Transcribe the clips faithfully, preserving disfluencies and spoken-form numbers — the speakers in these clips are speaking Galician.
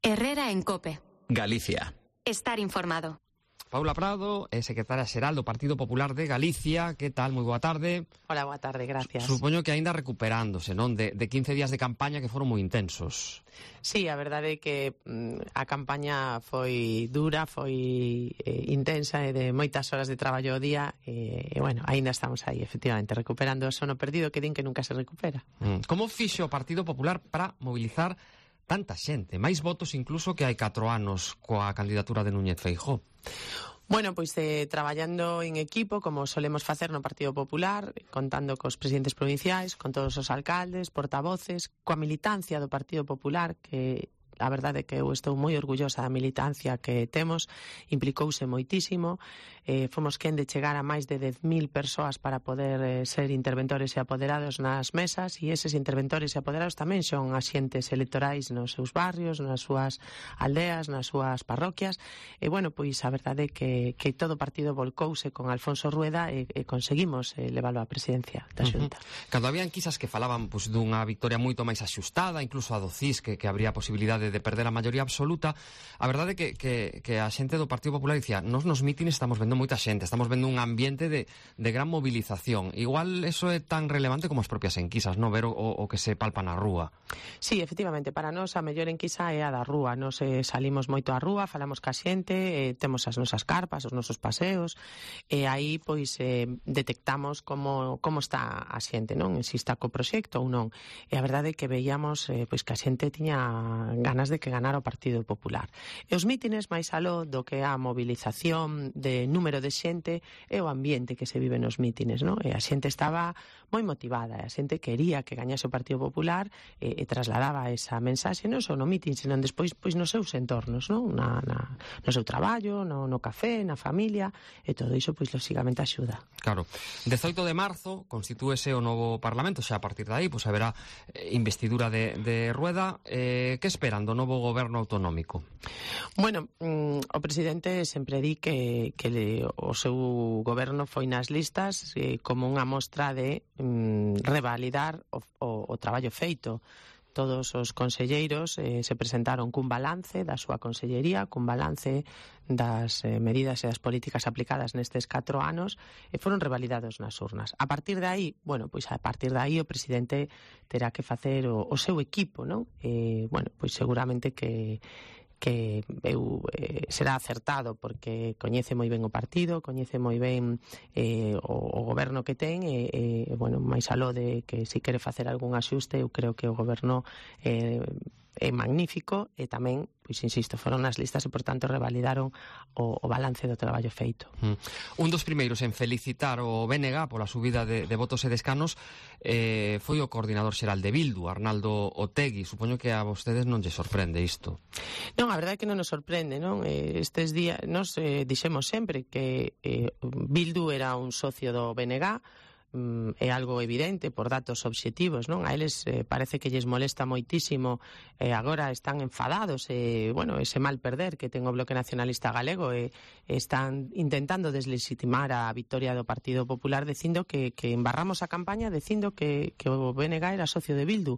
Herrera en COPE. Galicia. Estar informado. Paula Prado, é secretaria xeral do Partido Popular de Galicia. Que tal? Moi boa tarde. Hola, boa tarde, gracias. Supoño que aínda recuperándose, non? De, de quince días de campaña que foron moi intensos. Sí, a verdade é que mm, a campaña foi dura, foi eh, intensa e de moitas horas de traballo ao día e, e bueno, aínda estamos aí, efectivamente, recuperando o sono perdido que din que nunca se recupera. Mm. Como fixo o Partido Popular para mobilizar tanta xente? Máis votos incluso que hai catro anos coa candidatura de Núñez Feijóo. Bueno, pois eh, traballando en equipo, como solemos facer no Partido Popular, contando cos presidentes provinciais, con todos os alcaldes, portavoces, coa militancia do Partido Popular, que a verdade é que eu estou moi orgullosa da militancia que temos, implicouse moitísimo, eh, fomos quen de chegar a máis de dez mil persoas para poder eh, ser interventores e apoderados nas mesas, e eses interventores e apoderados tamén son axentes electorais nos seus barrios, nas súas aldeas, nas súas parroquias, e bueno, pois a verdade é que, que todo o partido volcouse con Alfonso Rueda e, e conseguimos eh, leválo á presidencia da Xunta. Uh-huh. Cando habían quizas que falaban pois, dunha victoria moito máis axustada, incluso a do C I S, que, que habría posibilidade de perder a maioría absoluta, a verdade é que, que, que a xente do Partido Popular dicía, nos nos mítines estamos vendo moita xente, estamos vendo un ambiente de, de gran movilización. Igual eso é tan relevante como as propias enquisas, non? Ver o, o que se palpa na rúa. Sí, efectivamente, para nós a mellor enquisa é a da rúa. Nos eh, salimos moito á rúa, falamos ca xente, eh, temos as nosas carpas, os nosos paseos, e aí pois eh, detectamos como, como está a xente, non? Se está co proxecto ou non. E a verdade é que veíamos eh, pois que a xente tiña ganas de que ganar o Partido Popular. E os mítines, máis aló do que a movilización de número de xente, é o ambiente que se vive nos mítines, non? E a xente estaba moi motivada, e a xente quería que gañase o Partido Popular e, e trasladaba esa mensaxe non só no mítin, senón despois pois nos seus entornos, non? Na, na, no seu traballo, no, no café, na familia, e todo iso pois lógicamente axuda. Claro. dezoito de marzo constitúese o novo Parlamento, xa a partir de aí pois haberá eh, investidura de, de Rueda. Eh, que esperan do novo goberno autonómico? Bueno, mm, o presidente sempre di que, que le, o seu goberno foi nas listas eh, como unha mostra de mm, revalidar o, o, o traballo feito. Todos os conselleiros eh, se presentaron cun balance da súa consellería, cun balance das eh, medidas e das políticas aplicadas nestes catro anos e foron revalidados nas urnas. A partir de aí, bueno, pois a partir de aí o presidente terá que facer o, o seu equipo, non? E, bueno, pois seguramente que que eu, eh, será acertado porque coñece moi ben o partido, coñece moi ben eh, o, o goberno que ten e, eh, bueno, máis aló de que se quere facer algún axuste, eu creo que o goberno eh, é magnífico e tamén, pois insisto, foron nas listas e por tanto revalidaron o, o balance do traballo feito. Mm. Un dos primeiros en felicitar o B N G pola subida de, de votos e de escanos eh, foi o coordinador xeral de Bildu, Arnaldo Otegi. Supoño que a vostedes non lle sorprende isto. Non, a verdade é que non nos sorprende, non? Estes días nos eh, dixemos sempre que eh, Bildu era un socio do B N G, mm, é algo evidente por datos obxectivos, non? A eles eh, parece que lles molesta moitísimo, eh, agora están enfadados e, eh, bueno, ese mal perder que ten o Bloque Nacionalista Galego e eh, están intentando deslegitimar a victoria do Partido Popular dicindo que, que embarramos a campaña dicindo que, que o B N G era socio de Bildu.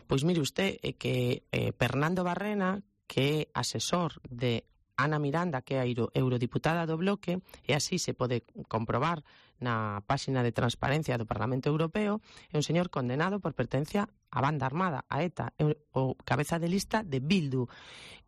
Pois mire usted, eh, que eh, Pernando Barrena, que é asesor de Ana Miranda, que é a eurodiputada do Bloque, e así se pode comprobar na páxina de transparencia do Parlamento Europeo, é un señor condenado por pertenencia a banda armada, a ETA, o cabeza de lista de Bildu.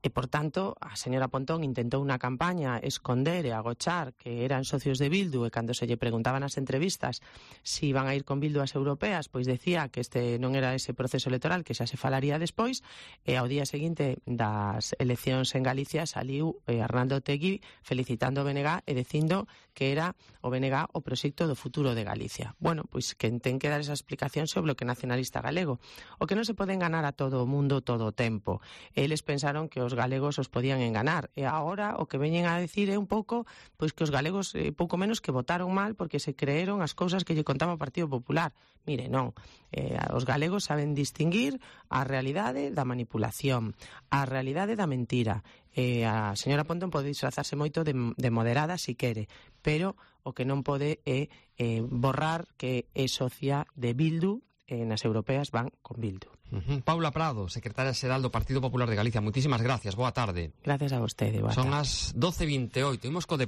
E, por tanto, a señora Pontón intentou unha campaña esconder e agochar que eran socios de Bildu, e cando se lle preguntaban nas entrevistas se iban a ir con Bildu ás europeas, pois decía que este non era ese proceso electoral, que xa se falaría despois, e ao día seguinte das eleccións en Galicia saliu eh, Arnaldo Otegi felicitando o B N G e dicindo que era o B N G o proxecto do futuro de Galicia. Bueno, pois que ten que dar esa explicación sobre o Bloque Nacionalista Galego. O que non se pode enganar a todo o mundo todo o tempo. Eles pensaron que os galegos os podían enganar e agora o que veñen a decir é un pouco pois que os galegos eh, pouco menos que votaron mal porque se creeron as cousas que lle contaba o Partido Popular. Mire, non. Eh, os galegos saben distinguir a realidade da manipulación, a realidade da mentira. Eh, a señora Pontón pode disfrazarse moito de, de moderada si quere, pero o que non pode é eh, borrar que é socia de Bildu. Eh, nas europeas van con Bildu. Uh-huh. Paula Prado, secretaria xeral do Partido Popular de Galicia. Moitísimas gracias, boa tarde. Gracias a vostede, boa tarde. Son as doce e vinte e oito. Imos co